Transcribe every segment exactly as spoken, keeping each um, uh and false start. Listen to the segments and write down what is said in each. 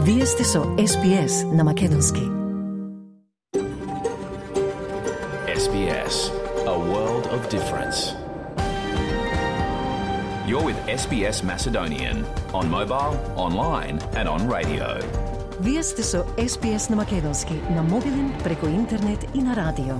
Вие сте со Ес Би Ес на Македонски. Ес Би Ес, a world of difference. You're with Ес Би Ес Macedonian on mobile, online and on radio. Вие сте со Ес Би Ес на Македонски, на мобилен, преку интернет и на радио.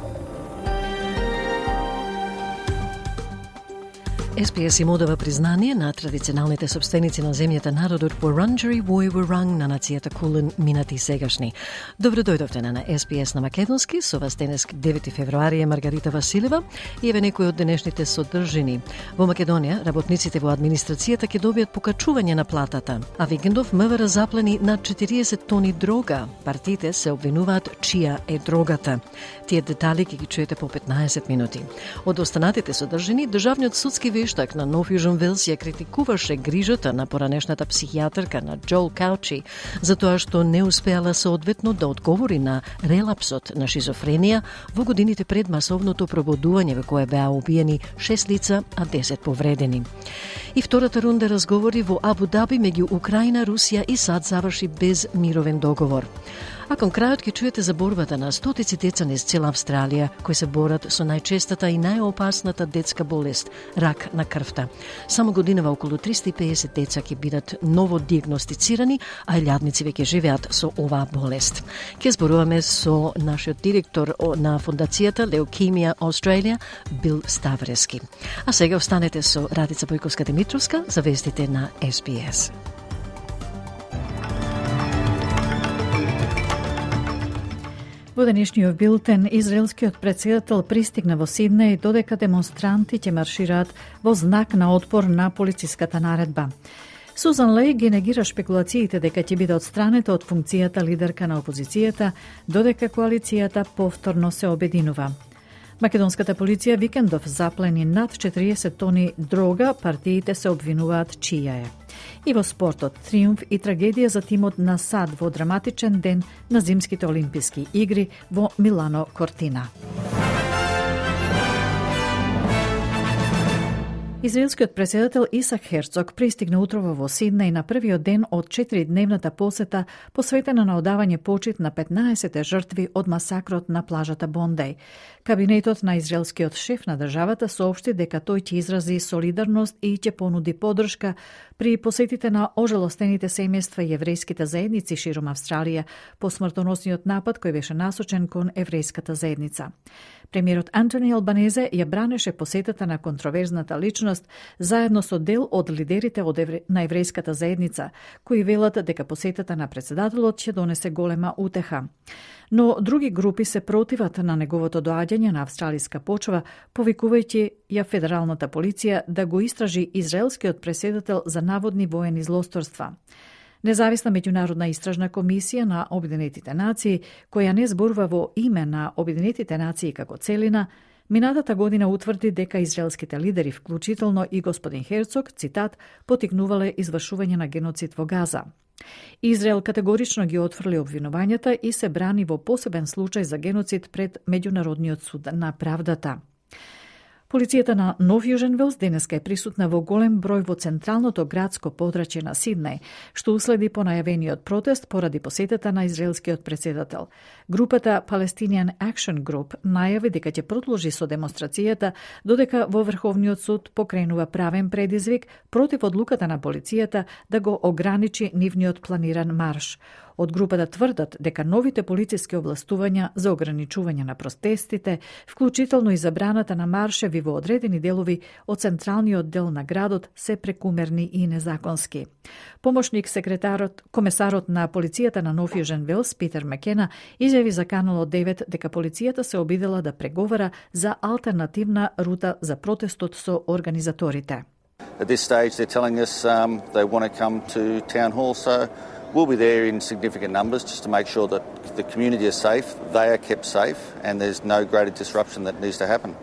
Ес Би Ес им одава признание на традиционалните собственици на земјата, народот Вуранџари Војвуранг на нацијата Кулен, минати и сегашни. Добро дојдовте на Ес Би Ес на Македонски, со вас денес девети февруари е Маргарита Василева и еве некои од денешните содржини. Во Македонија, работниците во администрацијата ќе добијат покачување на платата, а викендов МВР заплени над четириесет тони дрога. Партиите се обвинуваат чија е дрогата. Тие детали ќе ги чуете по петнаесет минути. Од останатите содржини, државниот судски вештак на Нов Јужен Велс ја критикуваше грижата на поранешната психијатрка на Џоел Каучи за тоа што не успеала соодветно да одговори на релапсот на шизофренија во годините пред масовното пробудување во кое беа убиени шест лица, а десет повредени. И втората рунда разговори во Абу Даби меѓу Украина, Русија и САД заврши без мировен договор. А кон крајот ќе чуете за борбата на стотици деца низ цела Австралија кои се борат со најчестата и најопасната детска болест – рак на крвта. Само годинава околу триста и педесет деца ќе бидат ново диагностицирани, а илјадници веќе живеат со оваа болест. Ќе зборуваме со нашиот директор на фондацијата Leukemia Australia, Бил Ставрески. А сега останете со Радица Бојковска-Димитровска за вестите на Ес Би Ес. Во денешниот билтен, израелскиот претседател пристигна во Сиднеј додека демонстранти ќе маршираат во знак на отпор на полициската наредба. Сузан Леј ги негира шпекулациите дека ќе биде отстранета од функцијата лидерка на опозицијата, додека коалицијата повторно се обединува. Македонската полиција викендов заплени над четириесет тони дрога, партиите се обвинуваат чија е. И во спортот, триумф и трагедија за тимот на САД во драматичен ден на Зимските олимписки игри во Милано Кортина. Израелскиот претседател Исак Херцог пристигна утрово во Сиднеј на првиот ден од четиридневната посета посветена на одавање почит на петнаесет жртви од масакрот на плажата Бондеј. Кабинетот на израелскиот шеф на државата соопшти дека тој ќе изрази солидарност и ќе понуди поддршка при посетите на ожалостените семејства и еврејските заедници широм Австралија по смртоносниот напад кој беше насочен кон еврејската заедница. Премиерот Антони Албанезе ја бранеше посетата на контроверзната личност заедно со дел од лидерите од евре... на еврејската заедница, кои велат дека посетата на претседателот ќе донесе голема утеха. Но други групи се противат на неговото доаѓање на австралиска почва, повикувајќи ја федералната полиција да го истражи израелскиот претседател за наводни воени злосторства. Независна меѓународна истражна комисија на Обединетите нации, која не зборува во име на Обединетите нации како целина, минатата година утврди дека израелските лидери, вклучително и господин Херцог, цитат, потикнувале извршување на геноцид во Газа. Израел категорично ги отфрли обвинувањата и се брани во посебен случај за геноцид пред Меѓународниот суд на правдата. Полицијата на Нов Јужен Велс денеска е присутна во голем број во централното градско подрачје на Сиднеј, што уследи по најавениот протест поради посетата на израелскиот претседател. Групата Palestinian Action Group најави дека ќе продолжи со демонстрацијата додека во Врховниот суд покренува правен предизвик против одлуката на полицијата да го ограничи нивниот планиран марш. Од групата тврдат дека новите полициски областувања за ограничување на протестите, вклучително и забраната на маршеви во одредени делови од централниот дел на градот, се прекумерни и незаконски. Помошник секретарот, комесарот на полицијата на Нов Јужен Велс, Питер Макена, изјави за Канал девет дека полицијата се обидела да преговара за алтернативна рута за протестот со организаторите. At this stage they're telling us um, they want to come to town hall, so we'll be there in significant numbers just to make sure that the community is safe, they are kept safe, and there's no greater disruption that needs to happen.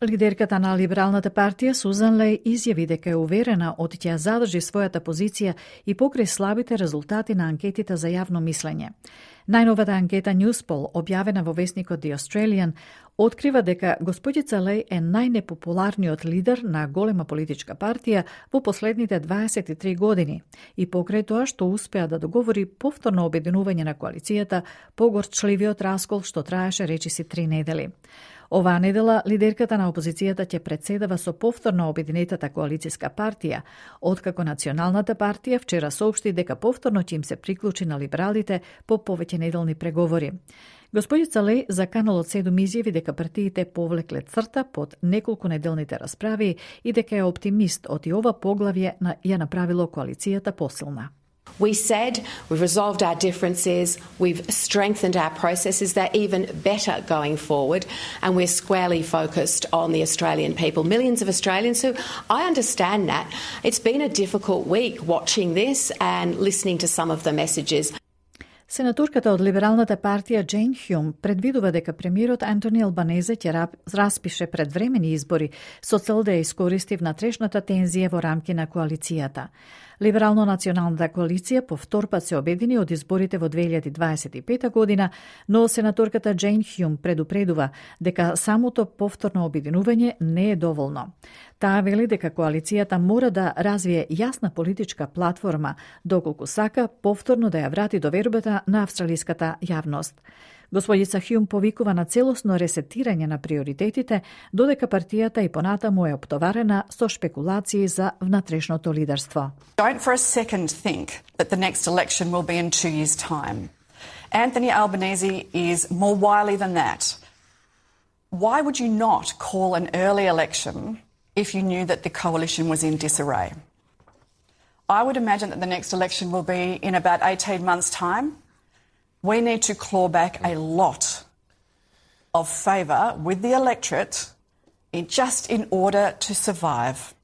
Лидерката на Либералната партија Сузан Леј изјави дека е уверена од ќе задржи својата позиција и покрај слабите резултати на анкетите за јавно мислење. Најновата анкета Newspoll, објавена во весникот The Australian, открива дека господица Леј е најнепопуларниот лидер на голема политичка партија во последните дваесет и три години и покрај тоа што успеа да договори повторно обединување на коалицијата по горчливиот раскол што траеше речиси три недели. Оваа недела лидерката на опозицијата ќе председава со повторно обединетата коалицијска партија, откако Националната партија вчера соопшти дека повторно ќе им се приклучи на либералите по повеќе неделни преговори. Господица Леј за Канал од седум изјави дека партиите повлекле црта под неколку неделните расправи и дека е оптимист од и ова поглавје ја направило коалицијата посилна. We said we've resolved our differences, we've strengthened our processes, they're even better going forward, and we're squarely focused on the Australian people. Millions of Australians who, I understand that, it's been a difficult week watching this and listening to some of the messages. Сенаторката од Либералната партија Джейн Хјум предвидува дека премиерот Антони Албанезе ќе распише предвремени избори со цел да ја искористи внатрешната тензија во рамки на коалицијата. Либерално-националната коалиција по втор пат се обедини од изборите во две илјади дваесет и пета година, но сенаторката Джейн Хјум предупредува дека самото повторно обединување не е доволно. Таа вели дека коалицијата мора да развие јасна политичка платформа, доколку сака повторно да ја врати довербата на австралиската јавност. Господица Хјум повикува на целосно ресетирање на приоритетите, додека партијата и понатаму е оптоварена со шпекулации за внатрешното лидерство. Don't for a second think that the next election will be in two years' time. Anthony Albanese is more wily than that. Why would you not call an early election if you knew that the coalition was in disarray? I would imagine that the next election will be in about eighteen months' time. We need to claw back a lot of favour with the electorate in just in order to survive.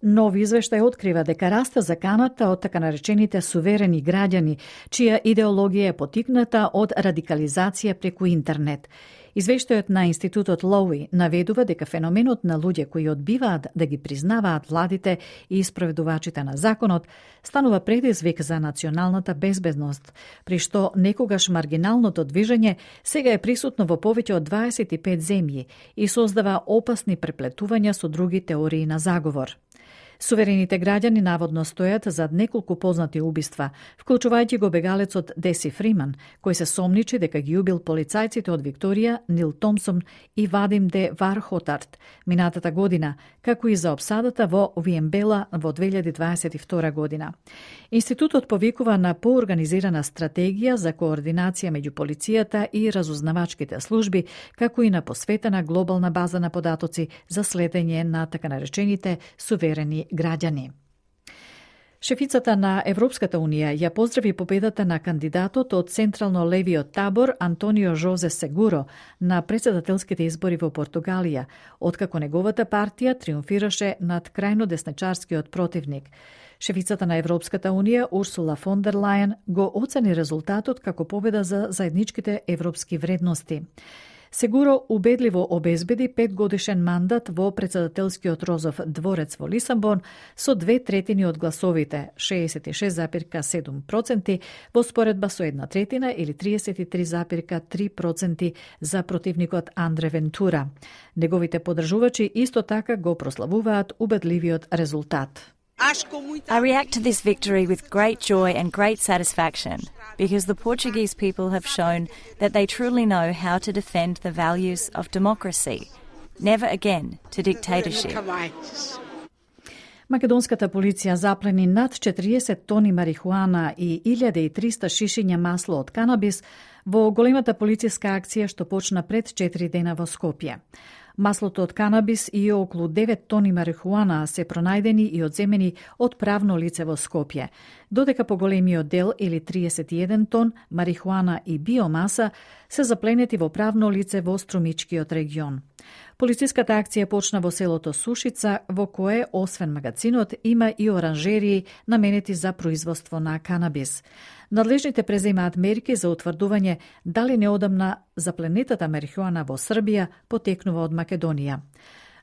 Нов извештај открива дека расте заканата од така наречените суверени граѓани, чија идеологија е потикната од радикализација преку интернет. Извештајот на Институтот Лоуи наведува дека феноменот на луѓе кои одбиваат да ги признаваат владите и испроведувачите на законот станува предизвик за националната безбедност, при што некогаш маргиналното движење сега е присутно во повеќе од дваесет и пет земји и создава опасни преплетувања со други теории на заговор. Суверените граѓани наводно стојат зад неколку познати убиства, вклучувајќи го бегалецот Деси Фриман, кој се сомничи дека ги убил полицајците од Викторија, Нил Томсон и Вадим де Вархотарт минатата година, како и за опсадата во Виембела во две илјади дваесет и втора година. Институтот повикува на поорганизирана стратегија за координација меѓу полицијата и разузнавачките служби, како и на посветена глобална база на податоци за следење на така наречените суверени граѓани. Шефицата на Европската Унија ја поздрави победата на кандидатот од централно-левиот табор Антонио Жозе Сегуро на претседателските избори во Португалија, откако неговата партија триумфираше над крајно десничарскиот противник. Шефицата на Европската Унија Урсула фон дер Лајен го оцени резултатот како победа за заедничките европски вредности. Сегуро убедливо обезбеди петгодишен мандат во претседателскиот Розов дворец во Лисабон со две третини од гласовите, шеесет и шест зарез седум проценти, во споредба со една третина или триесет и три зарез три проценти за противникот Андре Вентура. Неговите поддржувачи исто така го прославуваат убедливиот резултат. I react to this victory with great joy and great satisfaction because the Portuguese people have shown that they truly know how to defend the values of democracy. Never again to dictatorship. Македонската полиција заплени над четириесет тони марихуана и илјада и триста шишиња масло од канабис во големата полициска акција што почна пред четири дена во Скопје. Маслото од канабис и околу девет тони марихуана се пронајдени и одземени од правно лице во Скопје. додека поголемиот дел или триесет и еден тон марихуана и биомаса се запленети во правно лице во Струмичкиот регион. Полициската акција почна во селото Сушица, во кое, освен магазинот, има и оранжерии наменети за производство на канабис. Надлежните преземаат мерки за утврдување дали неодамна запленетата марихуана во Србија потекнува од Македонија.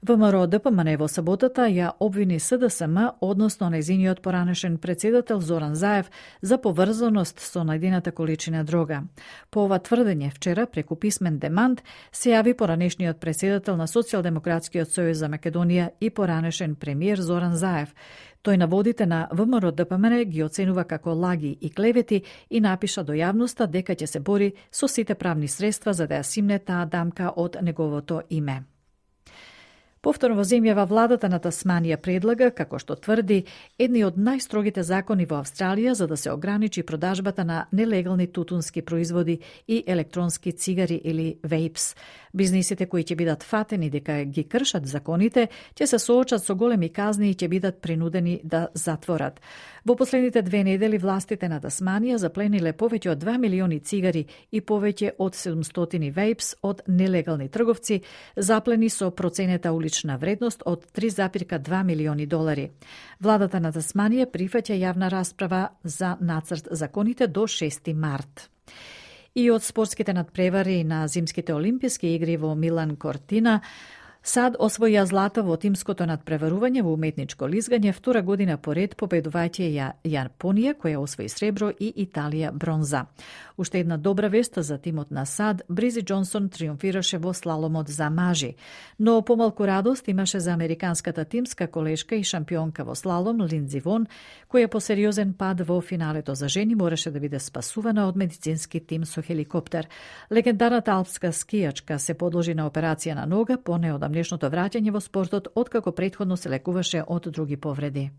ВМРО Д П М Н во саботата ја обвини С Д С М, односно нејзиниот поранешен председател Зоран Заев, за поврзаност со најдената количина дрога. По ова тврдење вчера, преку писмен демант, се јави поранешниот председател на Социјалдемократскиот сојуз за Македонија и поранешен премиер Зоран Заев. Тој наводите на ВМРО Д П М Н ги оценува како лаги и клевети и напиша до јавноста дека ќе се бори со сите правни средства за да ја симне таа дамка од неговото име. Повторно во земјава владата на Тасманија предлага, како што тврди, едни од најстрогите закони во Австралија за да се ограничи продажбата на нелегални тутунски производи и електронски цигари или вейпс. Бизнисите кои ќе бидат фатени дека ги кршат законите, ќе се соочат со големи казни и ќе бидат принудени да затворат. Во последните две недели властите на Тасманија заплениле повеќе од два милиони цигари и повеќе од седумстотини вейпс од нелегални трговци, заплени со проценета улична вредност од три запирка две милиони долари. Владата на Тасманија прифаќа јавна расправа за нацрт законите до шести март. И од спортските надпревари на зимските олимписки игри во Милан Кортина, САД освоја злато во тимското надпреварување во уметничко лизгање втора година поред, победувајќи ја Јапонија, која освои сребро, и Италија бронза. Уште една добра вест за тимот на САД, Бризи Џонсон триумфираше во слаломот за мажи. Но помалку радост имаше за американската тимска колешка и шампионка во слалом Линдзи Вон, која по сериозен пад во финалето за жени мораше да биде спасувана од медицински тим со хеликоптер. Легендарната алпска скијачка се подложи на операција на нога по неодамнешното враќање во спортот, откако претходно се лекуваше од други повреди.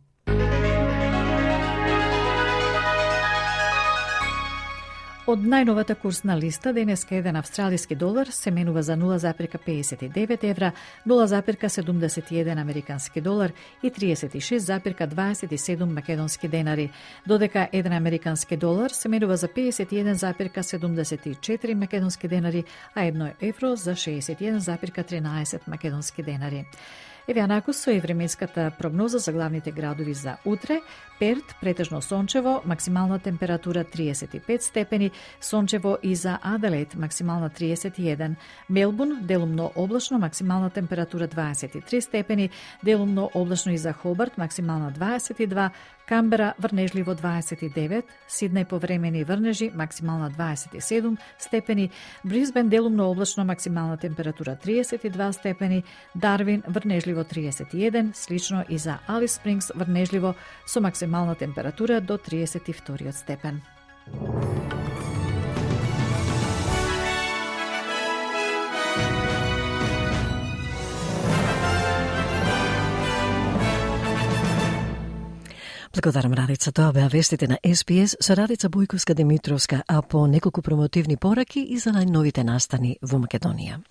Од најновата курсна листа, денеска еден австралиски долар се менува за нула запирка педесет и девет евра, нула запирка седумдесет и еден американски долар и триесет и шест запирка дваесет и седум македонски денари, додека еден американски долар се менува за педесет и еден запирка седумдесет и четири македонски денари, а едно евро за шеесет и еден запирка тринаесет македонски денари. Еве анаку со и временската прогноза за главните градови за утре. Перт претежно сончево, максимална температура триесет и пет степени, сончево и за Аделаид, максимална триесет и еден. Мелбурн делумно облачно, максимална температура дваесет и три степени, делумно облачно и за Хобарт, максимална дваесет и два, Камбера врнежливо дваесет и девет, Сиднеј повремени врнежи, максимална дваесет и седум степени, Брисбен делумно облачно, максимална температура триесет и два степени, Дарвин врнежливо триесет и еден, слично и за Алис Спрингс врнежливо со максимална температура до триесет и втори степен. Благодарам, Радица. Тоа беа вестите на Ес Би Ес со Радица Бојковска-Димитровска, а по неколку промотивни пораки и за најновите настани во Македонија.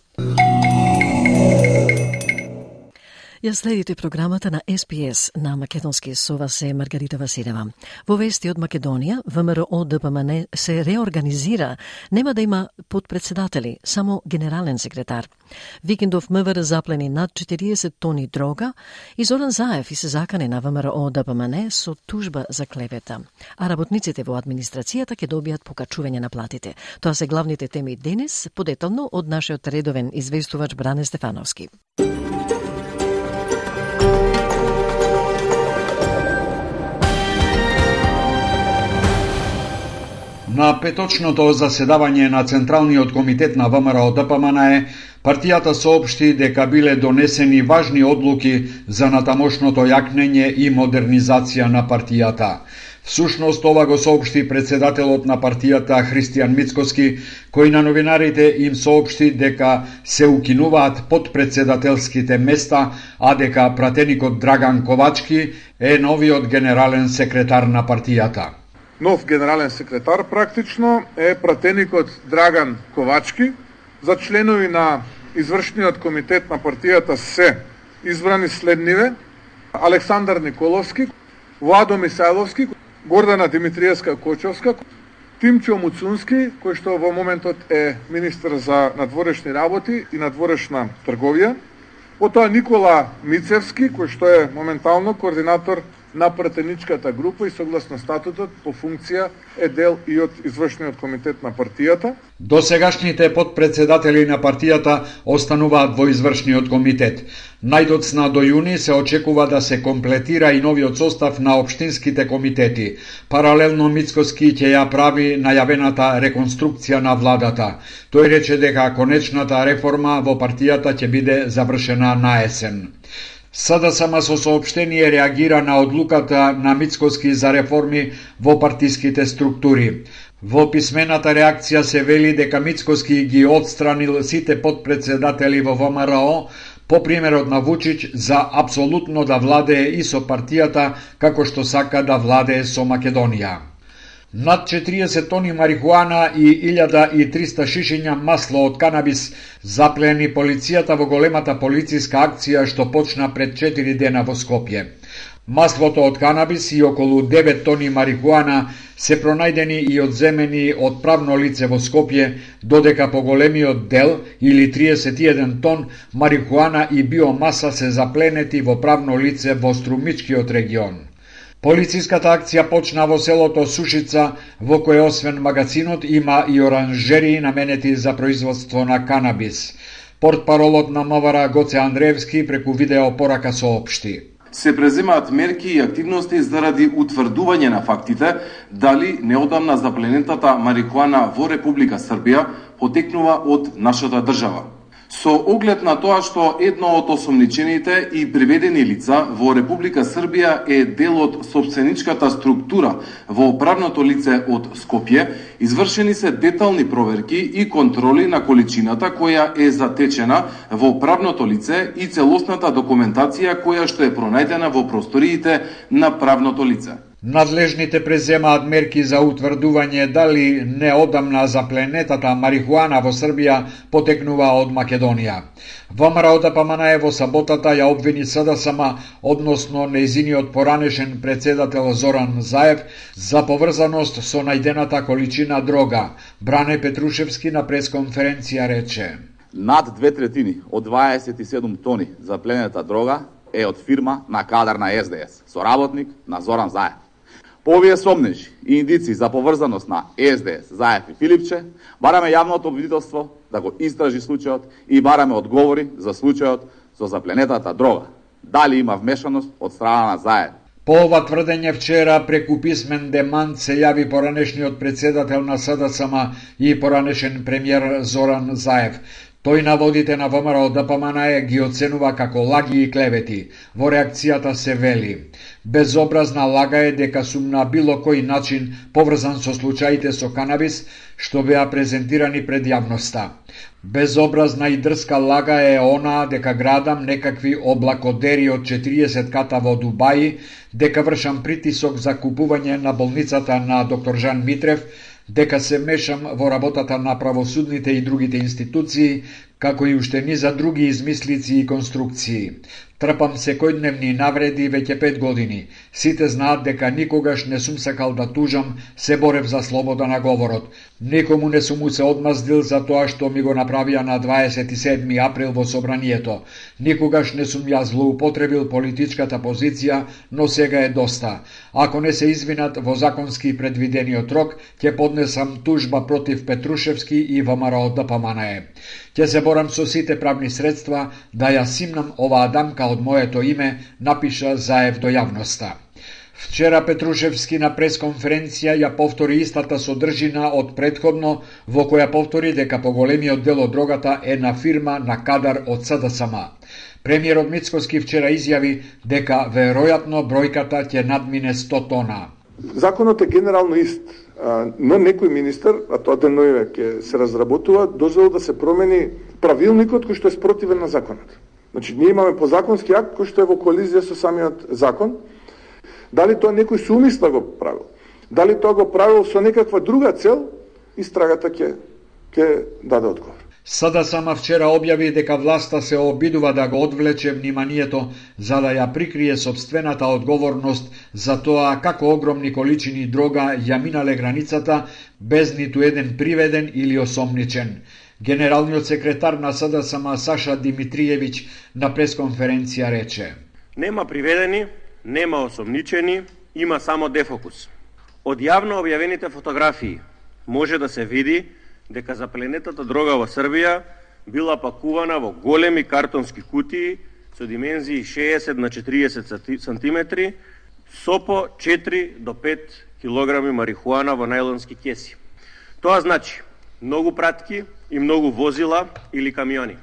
Ја следите програмата на Ес Би Ес на македонски, со вас е Маргарита Василева. Во вести од Македонија, ВМРО Д П М Н се реорганизира, нема да има подпредседатели, само генерален секретар. Викендов МВР заплени над четириесет тони дрога и Зоран Заев и се закане на ВМРО Д П М Н со тужба за клевета. А работниците во администрацијата ќе добијат покачување на платите. Тоа се главните теми денес, подетално од нашиот редовен известувач Бране Стефановски. На петочното заседавање на Централниот комитет на ВМРО Д П М Н, партијата соопшти дека биле донесени важни одлуки за натамошното јакнење и модернизација на партијата. Всушност, ова го соопшти председателот на партијата Христијан Мицкоски, кој на новинарите им соопшти дека се укинуваат подпредседателските места, а дека пратеникот Драган Ковачки е новиот генерален секретар на партијата. Нов генерален секретар практично е пратеникот Драган Ковачки. За членови на извршниот комитет на партијата се избрани следниве: Александар Николовски, Владо Мисајловски, Гордана Димитриевска Кочовска, Тимчо Муцунски, кој што во моментот е министер за надворешни работи и надворешна трговија, потоа Никола Мицевски, кој што е моментално координатор на пратеничката група и согласно статутот по функција е дел и од извршниот комитет на партијата. Досегашните подпредседатели на партијата остануваат во извршниот комитет. Најдоцна до јуни се очекува да се комплетира и новиот состав на општинските комитети. Паралелно Мицкоски ќе ја прави најавената реконструкција на владата. Тој рече дека конечната реформа во партијата ќе биде завршена на есен. СДСМ со соопштение реагира на одлуката на Мицкоски за реформи во партиските структури. Во писмената реакција се вели дека Мицкоски ги отстранил сите подпредседатели во ВМРО по примерот на Вучич за апсолутно да владее и со партијата како што сака да владее со Македонија. Над четириесет тони марихуана и илјада и триста шишиња масло од канабис заплени полицијата во големата полициска акција што почна пред четири дена во Скопје. Маслото од канабис и околу девет тони марихуана се пронајдени и одземени од правно лице во Скопје, додека по големиот дел, или триесет и еден тон, марихуана и биомаса се запленети во правно лице во Струмичкиот регион. Полициската акција почна во селото Сушица, во кое освен магазинот има и оранжерии наменети за производство на канабис. Портпаролот на МВР Гоце Андреевски преку видео порака соопшти: се преземаат мерки и активности заради утврдување на фактите дали неодамна запленетата марихуана во Република Србија потекнува од нашата држава. Со оглед на тоа што едно од осомничените и приведени лица во Република Србија е дел од собственичката структура во правното лице од Скопје, извршени се детални проверки и контроли на количината која е затечена во правното лице и целосната документација која што е пронајдена во просториите на правното лице. Надлежните преземаат мерки за утврдување дали неодамна запленетата марихуана во Србија потекнува од Македонија. ВМРО-ДПМН во саботата ја обвини СДСМ, односно нејзиниот поранешен председател Зоран Заев, за поврзаност со најдената количина дрога. Бране Петрушевски на пресконференција рече: над две третини од дваесет и седум тони запленета дрога е од фирма на кадар на Ес Де Ес, соработник на Зоран Заев. По овие сомнежи и индици за поврзаност на Ес Де Ес, Заев и Филипче, бараме јавното обвинителство да го истражи случајот и бараме одговори за случајот со запленетата дрога. Дали има вмешаност од страна на Заев? По ова тврдење вчера преку писмен демант се јави поранешниот председател на СДСМ и поранешен премиер Зоран Заев. Тој наводите на ВМРО-ДПМН ги оценува како лаги и клевети. Во реакцијата се вели: безобразна лага е дека сум на било кој начин поврзан со случаите со канабис што беа презентирани пред јавноста. Безобразна и дрска лага е она дека градам некакви облакодери од четириесет ката во Дубај, дека вршам притисок за купување на болницата на доктор Жан Митрев, дека се мешам во работата на правосудните и другите институции, како и уште низа други измислици и конструкции. Трпам секојдневни навреди веќе пет години. Сите знаат дека никогаш не сум сакал да тужам, се борев за слобода на говорот. Никому не сум му се одмаздил за тоа што ми го направија на дваесет и седми април во собранието. Никогаш не сум ја злоупотребил политичката позиција, но сега е доста. Ако не се извинат во законски предвидениот рок, ќе поднесам тужба против Петрушевски и ВМРО-ДПМН. Ќе се борам со сите правни средства да ја симнам оваа дамка од моето име, напиша Заев до јавноста. Вчера Петрушевски на пресконференција ја повтори истата содржина од претходно, во која повтори дека поголемиот дел од дрогата е на фирма на кадар од СДСМ. Премиерот Мицкоски вчера изјави дека веројатно бројката ќе надмине сто тона. Законот е генерално ист, но некој министер, а тоа деноиве ќе се разработува, дозволил да се промени правилникот кој што е спротивен на законот. Значи, ние имаме подзаконски акт кој што е во колизија со самиот закон. Дали тоа некој со умисла го правил? Дали тоа го правил со некаква друга цел? Истрагата ќе ќе даде одговор. СДСМ вчера објави дека власта се обидува да го одвлече вниманието за да ја прикрие собствената одговорност за тоа како огромни количини дрога ја минале границата без ниту еден приведен или осомничен. Генералниот секретар на СДСМ Саша Димитриевиќ на пресконференција рече: Нема приведени, нема осомничени, има само дефокус. Од јавно објавените фотографии може да се види дека запленетата дрога во Србија била пакувана во големи картонски кутии со димензии шеесет на четириесет сантиметри со по четири до пет килограми марихуана во најлонски кеси. Тоа значи многу пратки и многу возила или камиони.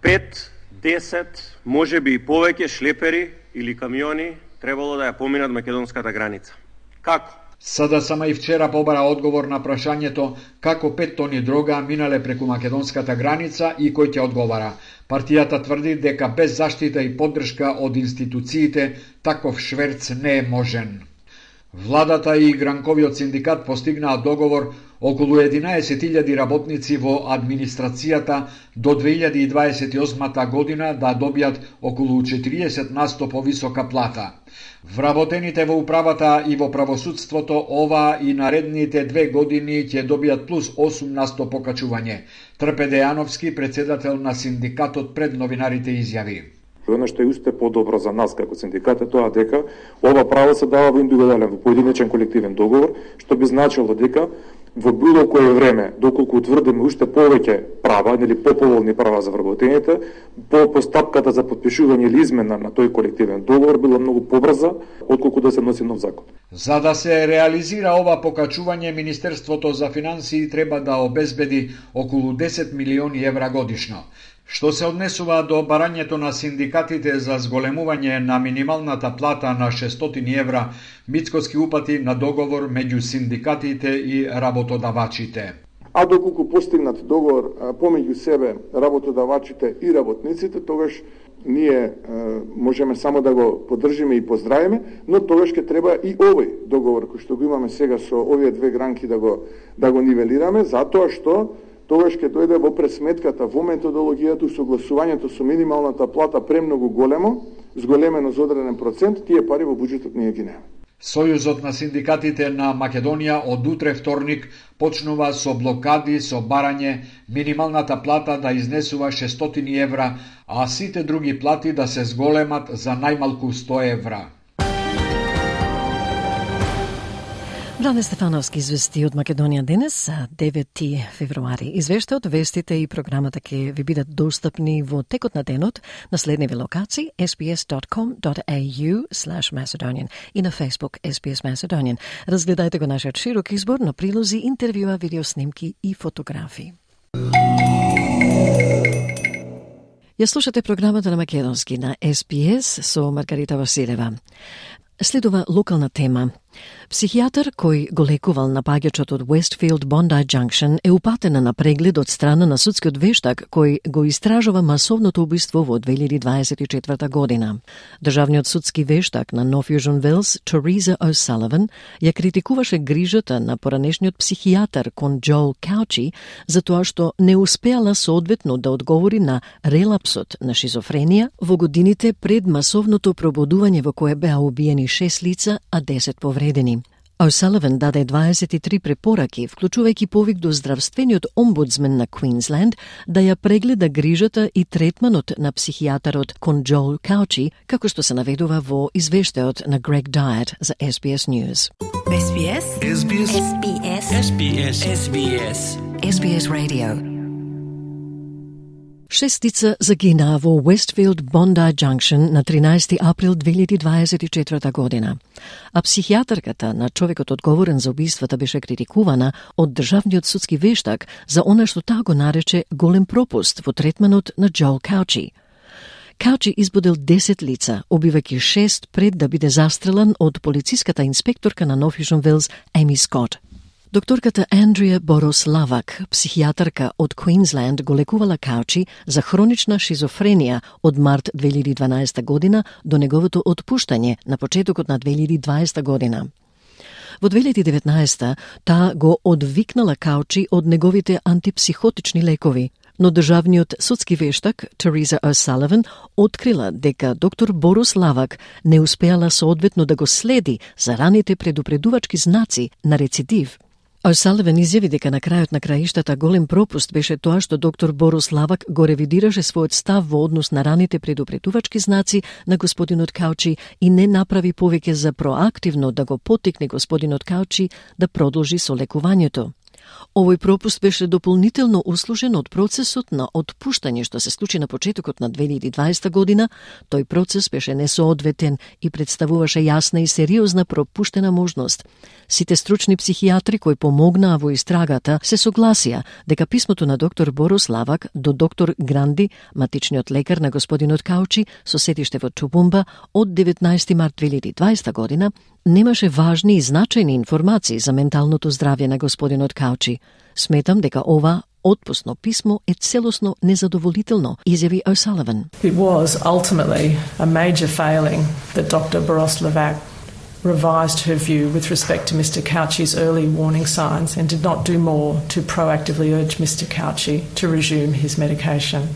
пет, десет, можеби и повеќе шлепери или камиони требало да ја поминат македонската граница. Како? СДСМ и вчера побара одговор на прашањето како пет тони дрога минале преку македонската граница и кој ќе одговара. Партијата тврди дека без заштита и поддршка од институциите таков шверц не е можен. Владата и гранковиот синдикат постигнаа договор околу единаесет илјади работници во администрацијата до две илјади и дваесет и осма година да добијат околу четириесет на сто повисока плата. Вработените во управата и во правосудството ова и наредните две години ќе добијат плюс осум на сто покачување. Трпе Дејановски, председател на синдикатот, пред новинарите изјави: Оно што е уште подобро за нас како синдикат е тоа дека ова право се дава во индивидуален, во поединечен колективен договор, што би значило дека во било кое време, доколку утврдиме уште повеќе права, нели поповолни права за вработените, по постапката за подпишување или измена на тој колективен договор била многу побрза отколку да се носи нов закон. За да се реализира ова покачување, Министерството за финансии треба да обезбеди околу десет милиони евра годишно. Што се однесува до барањето на синдикатите за зголемување на минималната плата на шестстотини евра, Мицкоски упати на договор меѓу синдикатите и работодавачите. А доколку постигнат договор помеѓу себе работодавачите и работниците, тогаш ние е, можеме само да го поддржиме и поздравиме, но тогаш ќе треба и овој договор кој што го имаме сега со овие две гранки да го да го нивелираме, затоа што тогаш ќе дојде во пресметката, во методологијата, согласувањето со минималната плата премногу големо, зголемено за одреден процент, тие пари во буџетот ние ги немаме. Сојузот на синдикатите на Македонија од утре вторник почнува со блокади со барање минималната плата да изнесува шестстотини евра, а сите други плати да се зголемат за најмалку сто евра. Блане Стефановски извести од Македонија денес, девети февруари. Извештаот, вестите и програмата ќе ви бидат достапни во текот на денот на следниви локации ес би ес dot com dot a u slash Macedonian и на Facebook ес би ес Macedonian. Разгледајте го нашиот широк избор на прилози, интервјуа, видеоснимки и фотографии. Ја слушате програмата на македонски на ес би ес со Маргарита Василева. Следува локална тема. Психијатар кој го лекувал напаѓачот од Westfield Bondi Junction е упатена на преглед од страна на судскиот вештак кој го истражува масовното убиство во две илјади дваесет и четврта година. Државниот судски вештак на North Fusion Wells, Teresa O'Sullivan, ја критикуваше грижата на поранешниот психијатар кон Joel Couchy за тоа што не успеала соодветно да одговори на релапсот на шизофренија во годините пред масовното пробудување во кое беа убиени шест лица, а десет повредени. O'Sullivan даде дваесет и три препораки, вклучувајќи повик до здравствениот омбудсмен на Квинсленд да ја прегледа грижата и третманот на психијатарот кон Joel Couchy, како што се наведува во извештајот на Greg Diet за ес би ес News. ес би ес ес би ес ес би ес ес би ес ес би ес ес би ес Radio. Шест лица загинаа во Westfield Bondi Junction на тринаесети април две илјади дваесет и четврта година. А психијатарката на човекот одговорен за убиствата беше критикувана од државниот судски вештак за она што таа го нарече голем пропуст во третманот на Joel Couchy. Couchy избудил десет лица, убивајќи шест пред да биде застрелан од полициската инспекторка на North Fusion Wells Amy Scott. Докторката Андрија Борос-Лавак, психијатарка од Квинсленд, го лекувала Couchy за хронична шизофренија од март две илјади дванаесета година до неговото отпуштање на почетокот на две илјади дваесета година. Во две илјади деветнаесета таа го одвикнала Couchy од неговите антипсихотични лекови. Но државниот судски вештак Тереза О'Саливан открила дека доктор Борис Лавак не успеала соодветно да го следи за раните предупредувачки знаци на рецидив. О'Саливан изјави дека на крајот на краиштата голем пропуст беше тоа што доктор Борис Лавак го ревидираше својот став во однос на раните предупредувачки знаци на господинот Каучи и не направи повеќе за проактивно да го поттикне господинот Каучи да продолжи со лекувањето. Овој пропуст беше дополнително услужен од процесот на отпуштање што се случи на почетокот на две илјади и дваесета година. Тој процес беше несоодветен и представуваше јасна и сериозна пропуштена можност. Сите стручни психијатри кои помогнаа во истрагата се согласија дека писмото на доктор Борис Лавак до доктор Гранди, матичниот лекар на господинот Каучи со сетиште во Тубумба од деветнаесети март две илјади и дваесета година, немаше важни и значајни информации за менталното здравје на господинот Каучи. Сметам дека ова отпусно писмо е целосно незадоволително, изјави О'Саливан. It was ultimately a major failing that Doctor Boros Lavac revised her view with respect to Mister Cauchi's early warning signs and did not do more to proactively urge Mister Cauchi to resume his medication.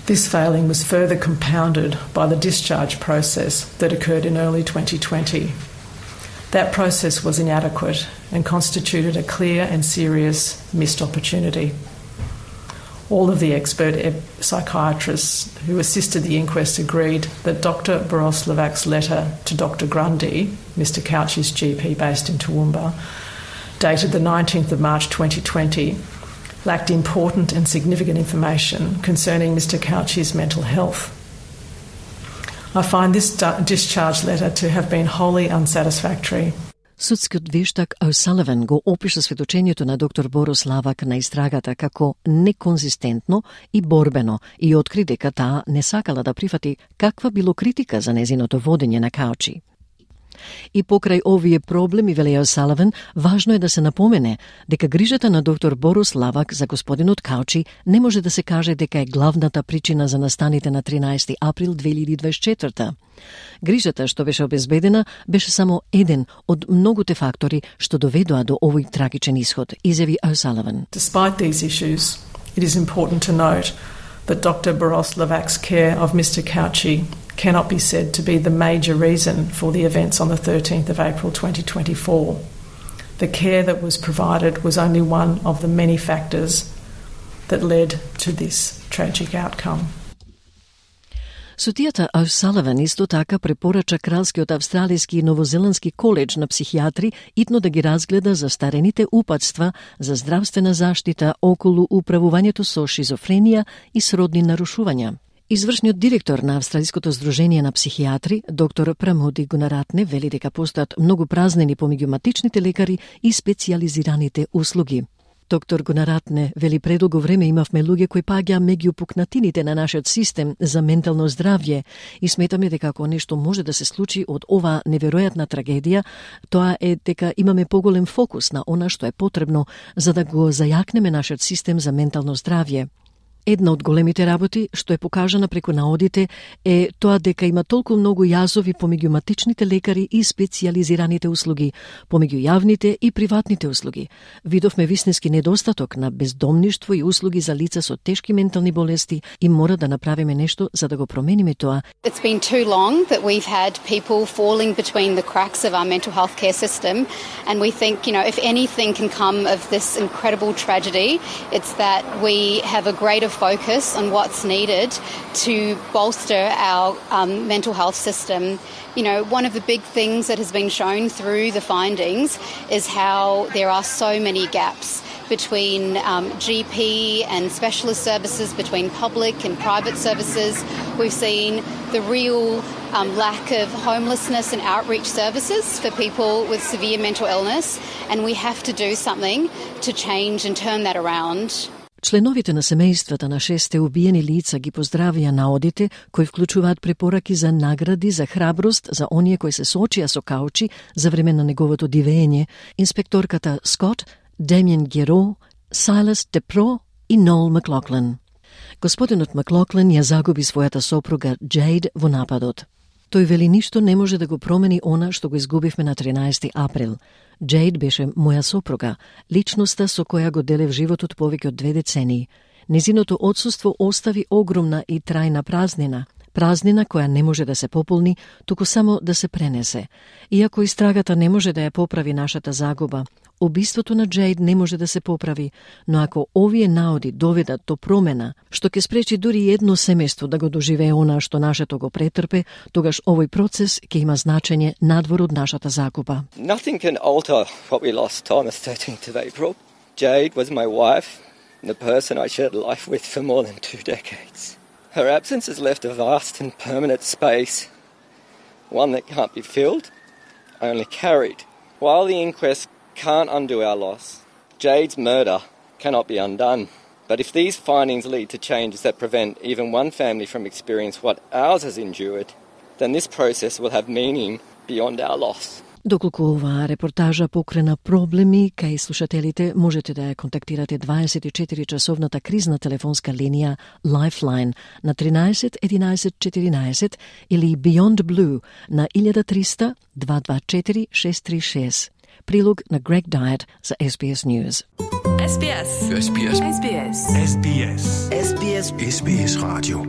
This failing was further compounded by the discharge process that occurred in early twenty twenty. That process was inadequate and constituted a clear and serious missed opportunity. All of the expert psychiatrists who assisted the inquest agreed that Doctor Boros Lavac's letter to Doctor Grundy, Mister Cauchi's G P based in Toowoomba, dated the nineteenth of March twenty twenty, lacked important and significant information concerning Mister Cauchi's mental health. I find this discharge letter to have been wholly unsatisfactory. Судскиот вештак О'Саливан го опиша сведочењето на доктор Борис Лавак на истрагата како неконзистентно и борбено и откри дека таа не сакала да прифати каква било критика за незиното водење на Каучи. И покрај овие проблеми, вели О'Саливан, важно е да се напомене дека грижата на доктор Борис Лавак за господинот Каучи не може да се каже дека е главната причина за настаните на тринаесети април две илјади и дваесет и четврта. Грижата што беше обезбедена беше само еден од многуте фактори што доведоа до овој трагичен исход, изјави О'Саливан. Despite these issues, it is important to note that Doctor Boros Lavac's care of Mister Cauchi cannot be said to be the major reason for the events on the thirteenth of April twenty twenty-four. The care that was provided was only one of the many factors that led to this tragic outcome. Судијата О'Саливан исто така препорача Кралскиот австралиски и новозеландски коледж на психијатри итно да ги разгледа застарените упатства за здравствена заштита околу управувањето со шизофренија и сродни нарушувања. Извршниот директор на Австралиското здружение на психијатри, доктор Прамоди Гунаратне, вели дека постојат многу празнини помеѓу матичните лекари и специјализираните услуги. Доктор Гунаратне вели предолго време имавме луѓе кои паѓа меѓу пукнатините на нашиот систем за ментално здравје и сметаме дека ако нешто може да се случи од ова неверојатна трагедија, тоа е дека имаме поголем фокус на она што е потребно за да го зајакнеме нашиот систем за ментално здравје. Една од големите работи што е покажана преку наодите е тоа дека има толку многу јазови помеѓу матичните лекари и специјализираните услуги, помеѓу јавните и приватните услуги. Видовме вистински недостаток на бездомништво и услуги за лица со тешки ментални болести и мора да направиме нешто за да го промениме тоа. It's been too long that we've had people falling between the cracks of our mental health care system, and we think, you know, if anything can come of this incredible tragedy, it's that we have a greater focus on what's needed to bolster our um, mental health system. You know, one of the big things that has been shown through the findings is how there are so many gaps between um, G P and specialist services, between public and private services. We've seen the real um, lack of homelessness and outreach services for people with severe mental illness, and we have to do something to change and turn that around. Членовите на семејствата на шесте убиени лица ги поздравија наодите кои вклучуваат препораки за награди за храброст за оние кои се соочија со Каучи за време на неговото дивење, инспекторката Скот, Демиен Геро, Сайлас Депро и Нол Маклоклен. Господинот Маклоклен ја загуби својата сопруга Джейд во нападот. Тој вели ништо не може да го промени она што го изгубивме на тринаесети април. Джейд беше моја сопруга, личноста со која го делев животот повеќе од две децении. Незиното отсуство остави огромна и трајна празнина, празнина која не може да се пополни, туку само да се пренесе. Иако истрагата не може да ја поправи нашата загуба, убиството на Джейд не може да се поправи, но ако овие наоди доведат до промена, што ќе спречи дури едно семејство да го доживее она што нашето го претрпе, тогаш овој процес ќе има значење надвор од нашата загуба. Nothing can alter what we lost on the thirteenth of April. Jade was my wife, the person I shared life with for more than two decades. Her absence has left a vast and permanent space, one that can't be filled, only carried. While the inquest can't undo our loss, Jade's murder cannot be undone. But if these findings lead to changes that prevent even one family from experiencing what ours has endured, then this process will have meaning beyond our loss. Доколку оваа репортажа покрена проблеми кај слушателите, можете да ја контактирате дваесет и четири часовната кризна телефонска линија Lifeline на тринаесет единаесет четиринаесет или Beyond Blue на илјада триста дваста дваесет и четири шест три шест. Прилог на Greg Diet за Ес Би Ес News. Ес Би Ес. Ес Би Ес. Ес Би Ес. Ес Би Ес. Ес Би Ес. Ес Би Ес радио.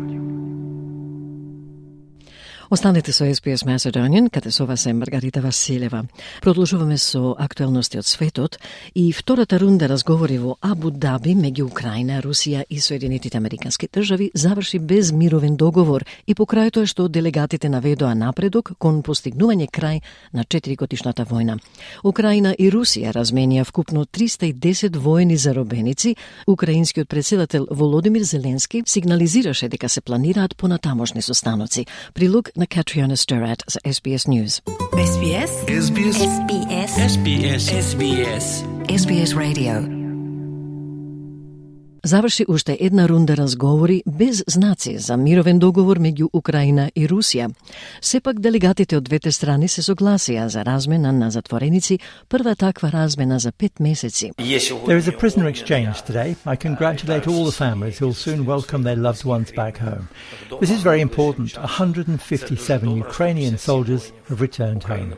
Останете со Ес Би Ес Macedonian, каде со вас е Маргарита Василева. Продолжуваме со актуелности од светот и втората рунда разговори во Абу Даби меѓу Украина, Русија и Соединетите Американски држави заврши без мировен договор и покрај тоа што делегатите наведоа напредок кон постигнување крај на четиригодишната војна. Украина и Русија разменија вкупно триста и десет воени заробеници. Украинскиот председател Володимир Зеленски сигнализираше дека се планираат понатамошни состаноци. Прилог на Катриона Стерат за Ес Би Ес News. Ес Би Ес. Ес Би Ес. Ес Би Ес. Ес Би Ес. Ес Би Ес. Ес Би Ес Radio. Заврши уште една рунда разговори без знаци за мировен договор меѓу Украина и Русија. Сепак делегатите од двете страни се согласија за размена на затвореници, прва таква размена за пет месеци. There is a prisoner exchange today. I congratulate all the families who will soon welcome their loved ones back home. This is very important. one hundred fifty-seven Ukrainian soldiers have returned home.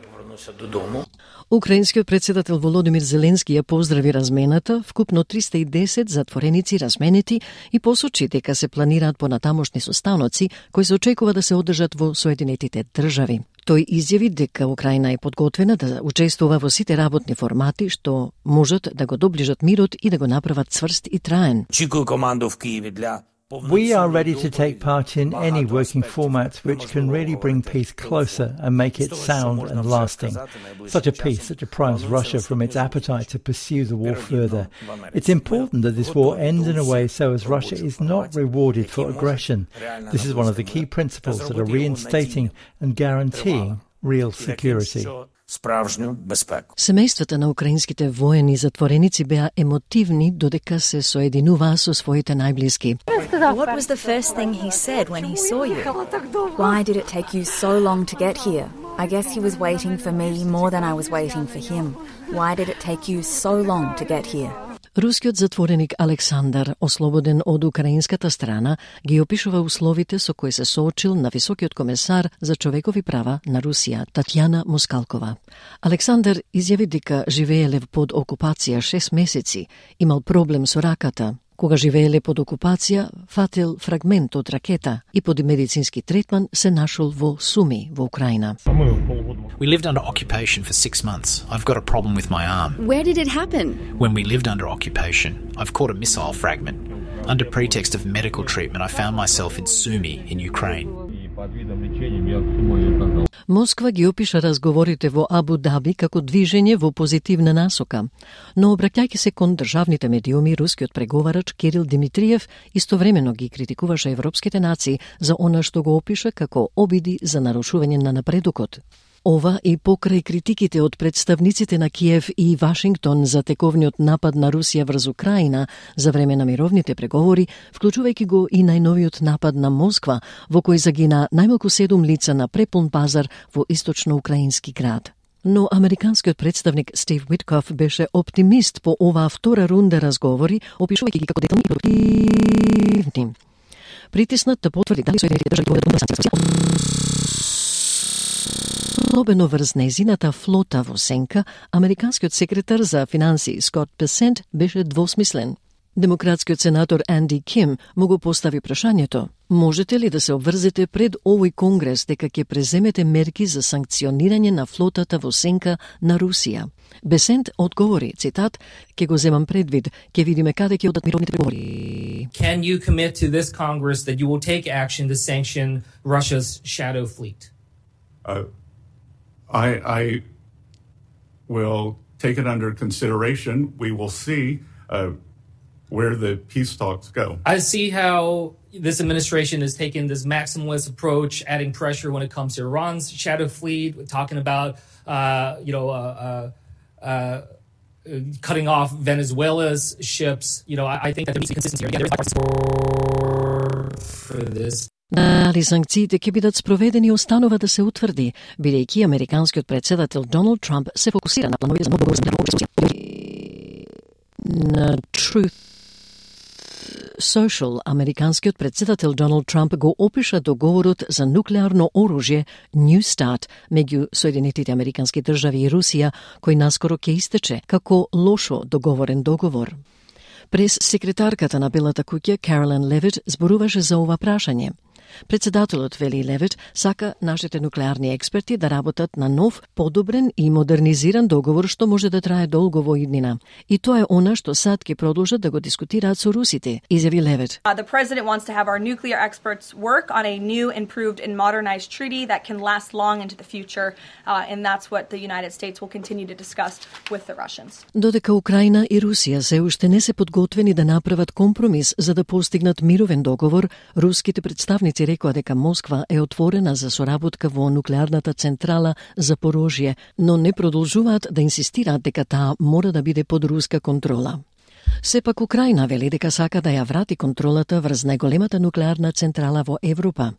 Украинскиот председател Володимир Зеленски ја поздрави размената, вкупно триста и десет затвореници разменети и посочи дека се планираат понатамошни состаноци кои се очекува да се одржат во Соединетите држави. Тој изјави дека Украина е подготвена да учествува во сите работни формати што можат да го доближат мирот и да го направат цврст и траен. We are ready to take part in any working formats which can really bring peace closer and make it sound and lasting. Such a peace that deprives Russia from its appetite to pursue the war further. It's important that this war ends in a way so as Russia is not rewarded for aggression. This is one of the key principles that are reinstating and guaranteeing real security. Семејствата на украинските воени затвореници беа емотивни додека се соединуваа со своите најблиски. What was the first thing he said when he saw you? Why did it take you so long to get here? I guess he was waiting for me more than I was waiting for him. Why did it take you so long to get here? Рускиот затвореник Александар, ослободен од украинската страна, ги опишува условите со кои се соочил на високиот комесар за човекови права на Русија, Татјана Москалкова. Александар изјави дека живееле под окупација шест месеци, имал проблем со раката. Кога живееле под окупација, фатил фрагмент од ракета и под медицински третман се нашол во Суми, во Украина. We lived under occupation for six months. I've got a problem with my arm. Where did it happen? When we lived under occupation, I've caught a missile fragment. Under pretext of medical treatment, I found myself in Sumy, in Ukraine. Москва ги опиша разговорите во Абу Даби како движење во позитивна насока, но обраќајќи се кон државните медиуми, рускиот преговарач Кирил Димитриев истовремено ги критикуваше европските нации за она што го опиша како обиди за нарушување на напредокот. Ова и покрај критиките од представниците на Киев и Вашингтон за тековниот напад на Русија врз Украина за време на мировните преговори, вклучувајќи го и најновиот напад на Москва, во кој загина најмалку седум лица на препун пазар во источно-украински град. Но американскиот представник Стив Уиткоф беше оптимист по оваа втора рунда разговори, опишувајќи ги како детални и продуктивни. Притиснат да потврди дали Соединетите држави поведат на санкции. особено врз незината флота во сенка, американскиот секретар за финансии Скот Бесент беше двосмислен. Демократскиот сенатор Анди Ким му го постави прашањето: можете ли да се обврзете пред овој конгрес дека ќе преземете мерки за санкционирање на флотата во сенка на Русија? Бесент одговори, цитат: "Ќе го земам предвид, ќе видиме каде ќе одат мировните преговори." Can you commit to this Congress that you will take action to sanction Russia's shadow fleet? Uh, I, I will take it under consideration. We will see uh, where the peace talks go. I see how this administration has taken this maximalist approach, adding pressure when it comes to Iran's shadow fleet, talking about, uh, you know, uh, uh, uh, cutting off Venezuela's ships. You know, I, I think that there needs to be consistency here. Again, there is bipartisan for this. Дали санкциите ќе бидат спроведени останува да се утврди, бидејќи американскиот председател Доналд Трамп се фокусира на планови за нов договор за на Truth Social, американскиот председател Доналд Трамп го опиша договорот за нуклеарно оружје New Start меѓу Соединетите американски држави и Русија, кој наскоро ќе истече, како лошо договорен договор. Прес секретарката на Белата куќа Каролин Левит зборуваше за ова прашање. Председателот Вели Левит сака нашите нуклеарни експерти да работат на нов, подобрен и модернизиран договор што може да трае долго во иднина. И тоа е она што сад ќе продолжат да го дискутираат со русите, изјави Левит. Uh, the president wants to have our nuclear experts work on a new, improved and modernized treaty that can last long into the future, uh, and that's what the United States will continue to discuss with the Russians. Додека Украина и Русија се уште не се подготвени да направат компромис за да постигнат мировен договор, руските представници рекоа дека Москва е отворена за соработка во нуклеарната централа Запорожје, но не продолжуваат да инсистираат дека таа мора да биде под руска контрола. Сепак Украина вели дека сака да ја врати контролата врз најголемата нуклеарна централа во Европа.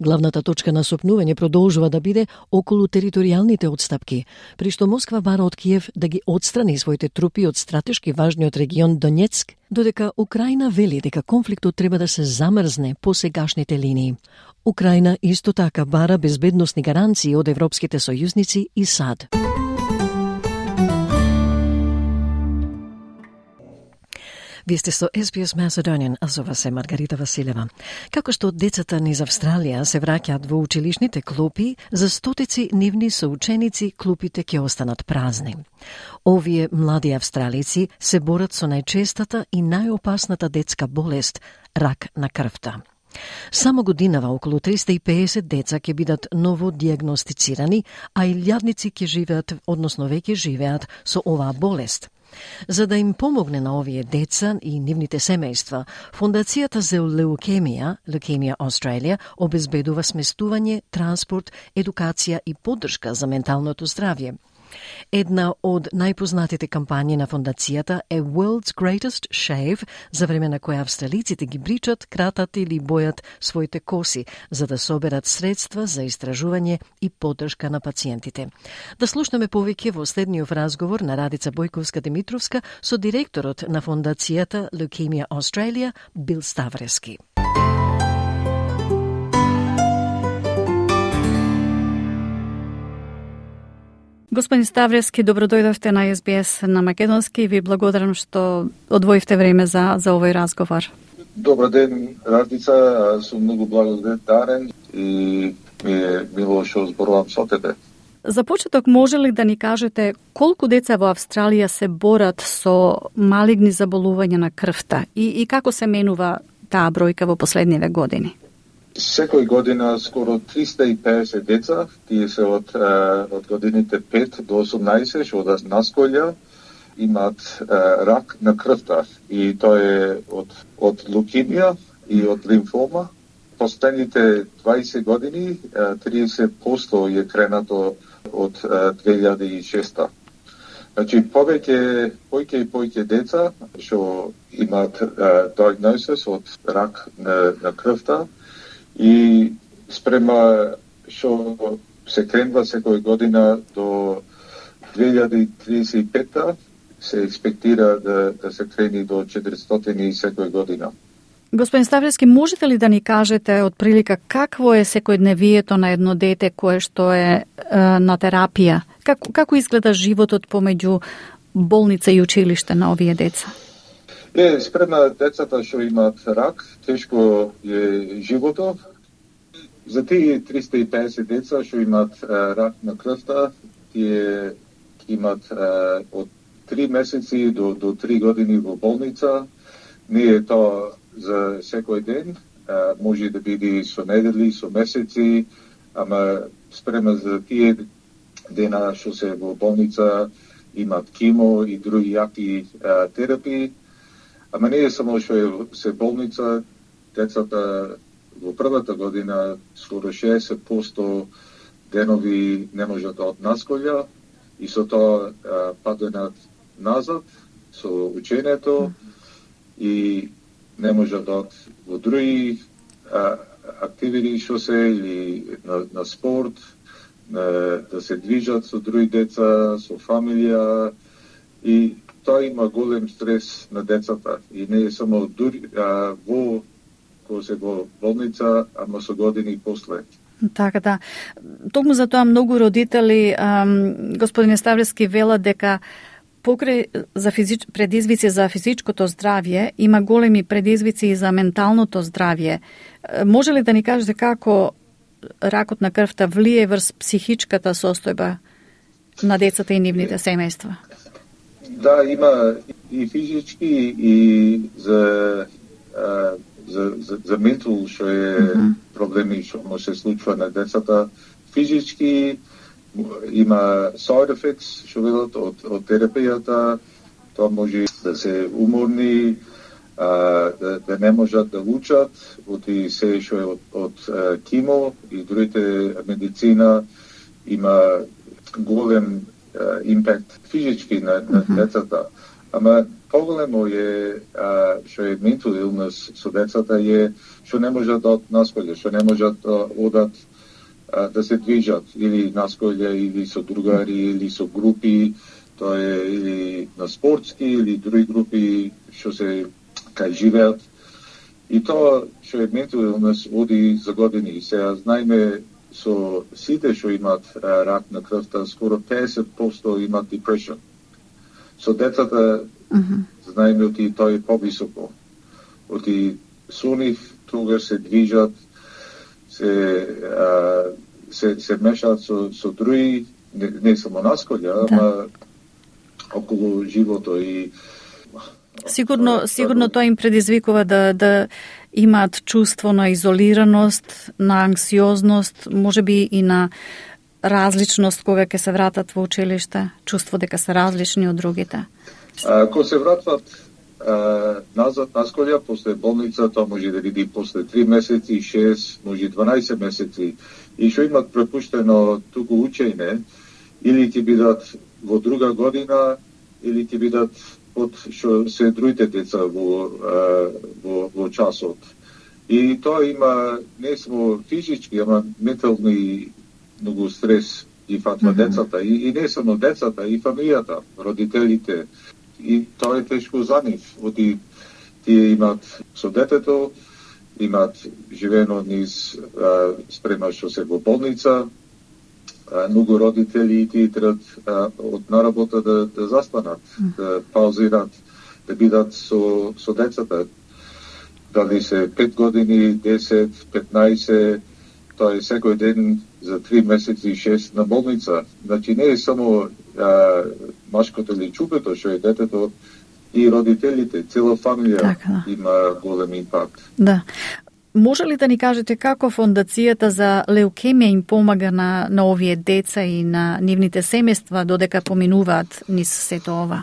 Главната точка на сопнување продолжува да биде околу територијалните отстапки, при што Москва бара од Киев да ги отстрани своите трупи од стратешки важниот регион Донецк, додека Украина вели дека конфликтот треба да се замрзне по сегашните линии. Украина исто така бара безбедносни гаранции од европските сојузници и САД. Вие сте со Ес Би Ес Macedonian, а со вас е Маргарита Василева. Како што децата низ Австралија се враќаат во училишните клупи, за стотици нивни соученици клупите ќе останат празни. Овие млади австралици се борат со најчестата и најопасната детска болест – рак на крвта. Само годинава околу триста и педесет деца ќе бидат ново диагностицирани, а илјадници ќе живеат, односно веќе живеат со оваа болест. За да им помогне на овие деца и нивните семејства, Фондацијата за леукемија, Leukemia Australia, обезбедува сместување, транспорт, едукација и поддршка за менталното здравје. Една од најпознатите кампањи на фондацијата е World's Greatest Shave, за време на која австралиците ги бричат, кратат или бојат своите коси, за да соберат средства за истражување и поддршка на пациентите. Да слушнеме повеќе во следниот разговор на Радица Бојковска-Димитровска со директорот на фондацијата Leukemia Australia, Бил Ставрески. Господин Ставрески, добро дојдовте на Ес Би Ес на македонски и ви благодарам што одвоивте време за, за овој разговор. Добар ден, Радица, сум многу благодарен и ми е мило што зборувам со тебе. За почеток, може ли да ни кажете колку деца во Австралија се борат со малигни заболувања на крвта и, и како се менува таа бројка во последниве години? Секој година скоро триста и педесет деца, тие се од, од годините пет до осумнаесет, што од наскоја имаат рак на крвта. И тоа е од, од лукемија и од лимфома. Последните дваесет години триесет проценти е кренато од две илјади и шеста. Значи, повеќе, повеќе и повеќе деца што имаат диагнозис од рак на, на крвта, и спрема што се кренува секој година до две илјади триесет и пета се експектира да, да се крени до четиристотини секој година. Господин Ставлевски, можете ли да ни кажете од прилика какво е секојдневието на едно дете кое што е, е на терапија? Како, како изгледа животот помеѓу болница и училиште на овие деца? Е, спрема децата што имаат рак, тешко е животот. За тие триста и педесет деца што имаат рак на крвта, тие имаат од три месеци до, до три години во болница. Не е тоа за секој ден, а, може да биде со недели, со месеци, ама спрема за тие дена што се во болница, имат кимо и други јаки а, терапии. Ама не е само што е се болница, децата во првата година скоро шеесет проценти денови не можат да однасколја и со тоа а, паденат назад со учењето и не можат да од во други а, активити што се или на, на спорт, на, да се движат со други деца, со фамилија и тоа има голем стрес на децата и не е само дури, а, во кога се во болница, ама со години после. Така да. Токму за тоа многу родители, ам, господине Ставлевски, велат дека покрај за физич... предизвици за физичкото здравје, има големи предизвици и за менталното здравје. Може ли да ни кажете како ракот на крвта влие врз психичката состојба на децата и нивните семејства? Да, има и физички и за а, за за, за ментал што е mm-hmm. проблеми што може се случува на децата. Физички има side effects, што велат од, од терапијата, тоа може да се уморни, а, да, да не можат да учат, од и се што е од, од кимо и другите медицина, има голем а, импакт физички на, на mm-hmm. децата. Ама поголемо е а, што е mental illness со децата е што не можат да однасколјат, што не можат да одат да се движат или насколја, или со другари, или со групи, тоа е или на спортски, или други групи што се кај живеат. И тоа што е mental illness оди за години. И сега знаеме со сите што имаат рак на крвта, скоро педесет проценти имаат depression. Со децата, mm-hmm. знаеме оти тоа е повисоко. Оти со нив тогаш се движат, се а, се се мешаат со со други, не, не само насколја, да. ама околу живото и Сигурно, сигурно тоа им предизвикува да да имаат чувство на изолираност, на анксиозност, можеби и на различност кога ќе се вратат во училиште, чувство дека се различни од другите. А, кога се вратат а, назад насколја после болница, тоа може да види после три месеци, шест, може дванаесет месеци, и што имат препуштено туку учење, или ќе бидат во друга година, или ќе бидат од што се другите деца во, во, во часот. И тоа има не само физички, ама ментални многу стрес и фатва mm-hmm. децата. И, и не само децата, и фамилијата, родителите. И тоа е тешко за нив. Оти тие имаат со детето, имаат живено низ а, спрема што се во болница, а, многу родители тие требат од наработа да, да застанат, mm. да паузират, да бидат со, со децата. Дали се пет години, десет, петнаесет, тоа е секој ден за три месеци, шест на болница. Значи не е само а, машкото или чупето што е детето, и родителите, цела фамилија така, да. Има голем импакт. Да. Може ли да ни кажете како фондацијата за леукемија им помага на, на овие деца и на нивните семејства додека поминуваат низ сето ова?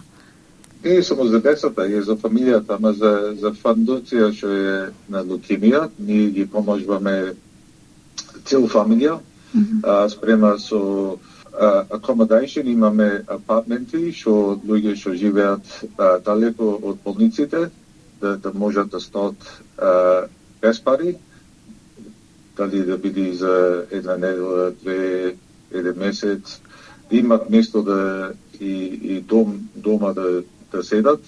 Не е само за децата, е за фамилијата, ама за, за фондација што е на леукемија, ние ги поможуваме цела фамилија, mm-hmm. а, спрема со Uh, accommodation, имаме апартменти што луѓе што живеат uh, далеко од болниците да, да можат да стоат uh, без пари, дали да биде за една недела, две, еден месец, да имат место да и, и дом дома да, да седат,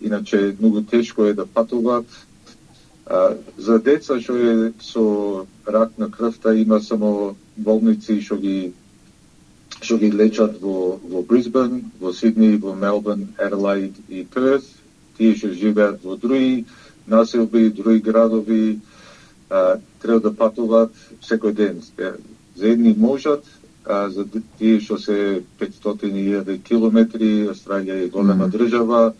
иначе многу тешко е да патуваат А, за деца што е со рак на крвта има само болници што ги што ги лечат во во Брисбен, во Сидни, во Мелбурн, Аделаид и Перт. Тие што живеат во други населби, други градови, а, треба да патуваат секој ден. За едни можат, а за тие што се петстотини илјади километри, Австралија е голема mm. држава,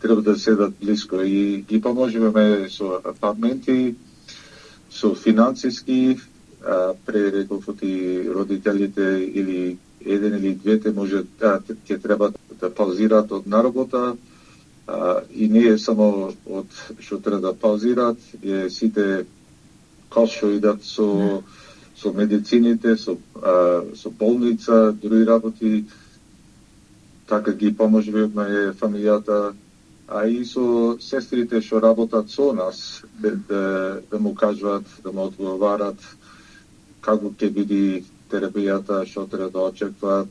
треба да седат близко и ги поможуваме со апартменти, со финансиски, а, пререков и родителите или еден или двете може да ќе треба да паузираат од наработа, а, и не е само од што треба да паузираат, е сите кост што идат со mm. со медицините, со а, со болница, други работи, така ги поможуваме фамилијата, а и со сестрите што работат со нас, да, да, да му кажуват, да му одговарат како ќе биде терапијата, што треба да очекваат,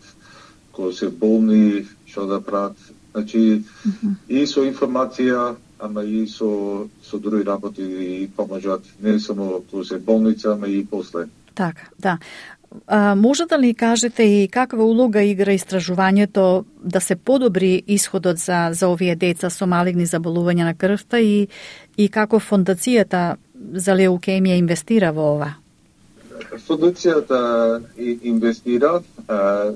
кога се болни, што да прават. Значи, mm-hmm. и со информација, ама и со, со други работи и поможат, не само кога се болница, ама и после. Така, да. А, може да ли кажете и каква улога игра истражувањето да се подобри исходот за, за овие деца со малигни заболувања на крвта и, и како фондацијата за леукемија инвестира во ова? Фондацијата инвестира а,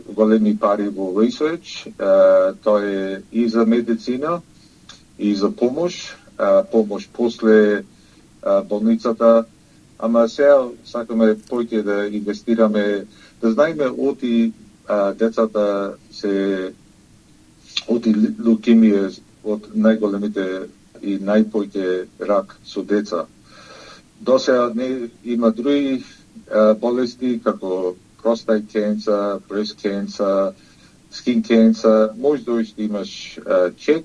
големи пари во research, а, тоа е и за медицина, и за помош, а, помош после а, болницата. Ама сега сакаме поќе да инвестираме, да знаеме оти а, децата се оти лукемија од најголемите и најпоќе рак со деца. До сега не има други а, болести како prostate cancer, breast cancer, skin cancer, може да имаш а, чек,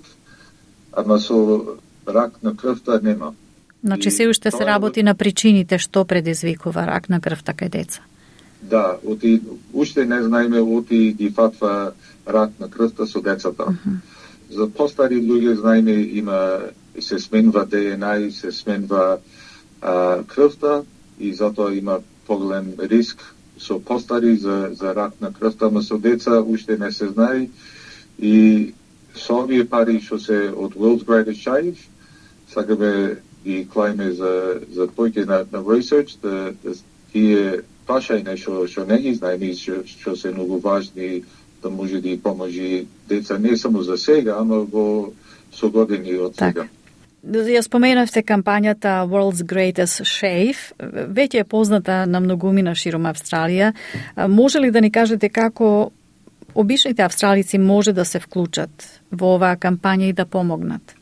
ама со рак на крвта нема. Значи се уште се работи на причините што предизвикува рак на крвта кај деца. Да, оти уште не знаеме оти ги фатва рак на крвта со децата. Uh-huh. За постари луѓе знаеме има се сменува Д Н А и се сменува а, крвта и затоа има поголем риск со постари за за рак на крвта, но со деца уште не се знае и со овие пари што се од World's Greatest Shave сакаме и клајме за за поќе на, на research да, да тие прашања што што не ги знаеме што што се многу важни да може да ги поможи деца не само за сега, ама во со години од сега. Ја споменавте кампањата World's Greatest Shave, веќе е позната на многумина широм Австралија. Може ли да ни кажете како обичните австралици може да се вклучат во оваа кампања и да помогнат?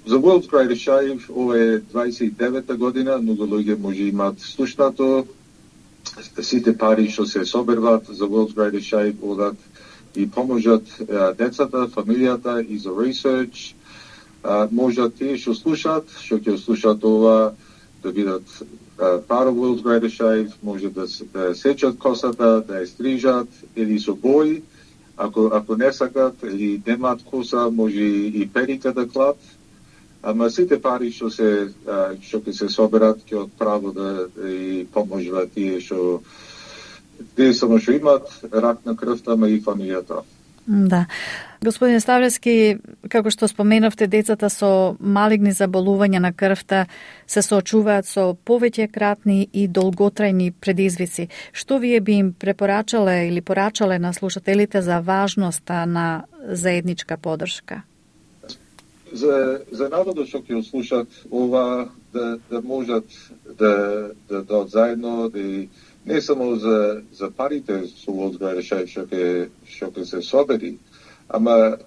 За World's Greatest Shave, ова е дваесет и девета година, многу луѓе може имаат слушнато. Сите пари што се соберват за World's Greatest Shave одат и поможат децата, фамилијата и за research. Можат тие што слушаат, што ќе слушаат ова, да бидат part of World's Greatest Shave, може да, да сечат косата, да ја стрижат или со бои. Ако, ако не сакат или немаат коса, може и перика да клат. Ама сите пари што се што ќе се соберат ќе отправо да, да и поможуваат тие што тие само што имаат рак на крвта, ама и фамилијата. Да. Господин Ставлевски, како што споменавте, децата со малигни заболувања на крвта се соочуваат со повеќе кратни и долготрајни предизвици. Што вие би им препорачале или порачале на слушателите за важноста на заедничка поддршка? За, за народот што ќе слушат ова, да, да можат да да дадат заедно, да не само за за парите со World's Greatest Shave што ќе што ќе се собери, ама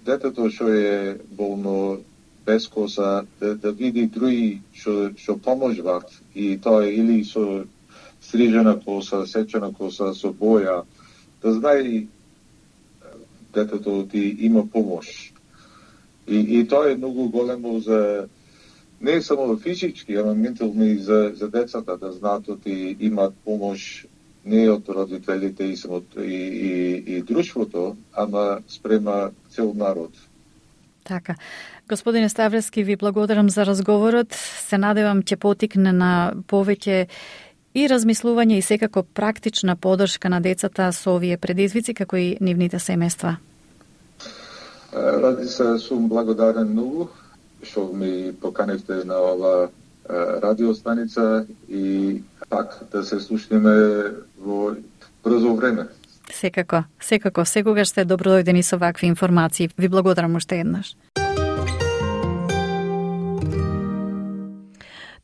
детето што е болно без коса да, да види други што што поможуваат и тоа е или со стрижена коса, сечена коса, со боја, да знае детето ти има помош. И, и тоа е многу големо за не само физички, ама ментално и за, за децата, да знаат и имаат помош не од родителите и, и, и, и друштвото, ама спрема цел народ. Така. Господине Ставрески, ви благодарам за разговорот. Се надевам ќе потикне на повеќе и размислување и секако практична поддршка на децата со овие предизвици, како и нивните семејства. Ради се, сум благодарен многу што ми поканевте на ова радиостаница и пак да се слушнеме во брзо време. Секако, секако, секогаш сте добродојдени со вакви информации. Ви благодарам уште еднаш.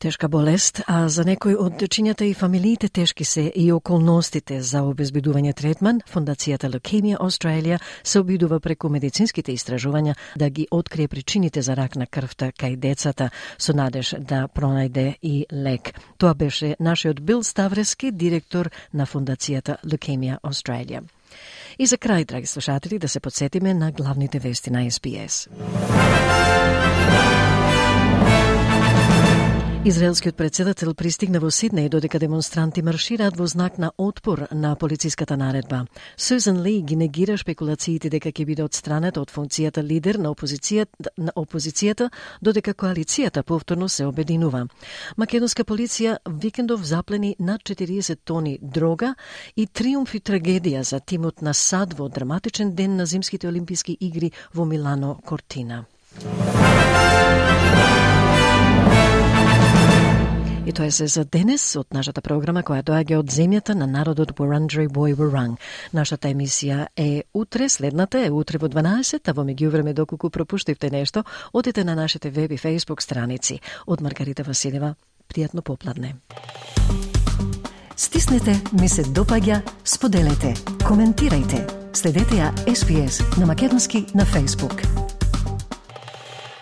Тешка болест, а за некои од дечињата и фамилиите тешки се и околностите за обезбедување третман, Фондацијата Leukemia Australia се обидува преку медицинските истражувања да ги открие причините за рак на крвта кај децата, со надеж да пронајде и лек. Тоа беше нашиот Бил Ставрески, директор на Фондацијата Leukemia Australia. И за крај, драги слушатели, да се подсетиме на главните вести на Ес Би Ес. Израелскиот председател пристигна во Сиднеј додека демонстранти маршираат во знак на отпор на полициската наредба. Сюзан Ли ги негира шпекулациите дека ќе биде отстранета од функцијата лидер на опозицијата, на опозицијата додека коалицијата повторно се обединува. Македонска полиција викендов заплени над четириесет тони дрога и триумф и трагедија за тимот на САД во драматичен ден на Зимските олимписки игри во Милано Кортина. И тоа е се за денес од нашата програма која доаѓа од земјата на народот Wurundjeri Woi-wurrung. Нашата емисија е утре, следната е утре во дванаесет, а во меѓувреме доколку пропуштивте нешто, одите на нашите веб и фејсбук страници. Од Маргарита Василева, пријатно попладне. Стиснете, ми се допаѓа, споделете, коментирајте. Следете ја Ес Би Ес на македонски на фејсбук.